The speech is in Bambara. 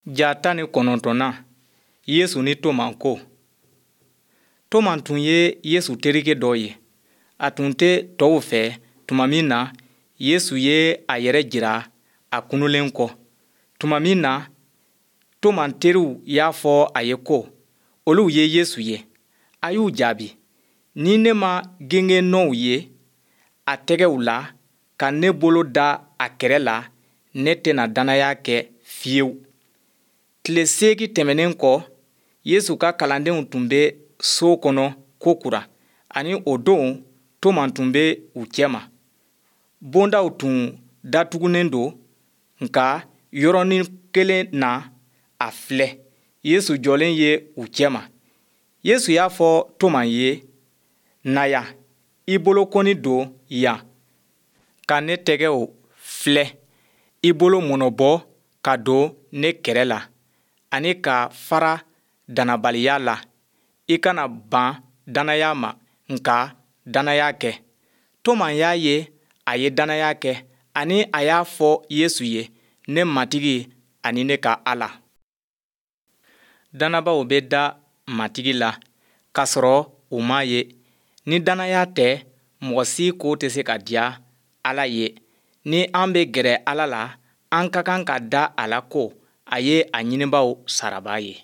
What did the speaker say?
Ja 19nan, Yesu ni Toma ko. Toma tun ye Yesu terikɛ dɔ ye. A tun tɛ tɔw fɛ tuma min na Yesu ye a yɛrɛ jira a kununlen kɔ. Tuma min na Toma teriw y'a fɔ a ye ko olu ye Yesu ye, a y'u jaabi, Ni ne ma gengen nɔw ye a tɛgɛw la, ka ne bolo da a kɛrɛ la, ne tɛna dannaya kɛ fiyewu. Tile seegin tɛmɛnnen kɔ, Yesu ka kalandenw tun bɛ so kɔnɔ kokura, ani o don Toma tun bɛ u cɛma. Bondaw tun datugunnen don, nka yɔrɔnin kelen na, a filɛ, Yesu jɔlen ye u cɛma. Yesu y'a fɔ Toma ye, Na yan, i bolokɔni don yan ka ne tɛgɛw filɛ. I bolo mɔnɔbɔ ka don ne kɛrɛ la, ani ka fara dannabaliya la. I kana ban dannaya ma, nka dannaya kɛ. Toma y'a ye, a ye dannaya kɛ, ani a y'a fɔ Yesu ye, Ne Matigi ani ne ka Ala. Dannabaaw bɛ da Matigi la k'a sɔrɔ u m'a ye. Ni dannaya tɛ, mɔgɔ si ko tɛ se ka diya Ala ye. Ni an bɛ gɛrɛ Ala la, an ka kan ka da a la ko a ye a ɲinibaaw sarabaa ye.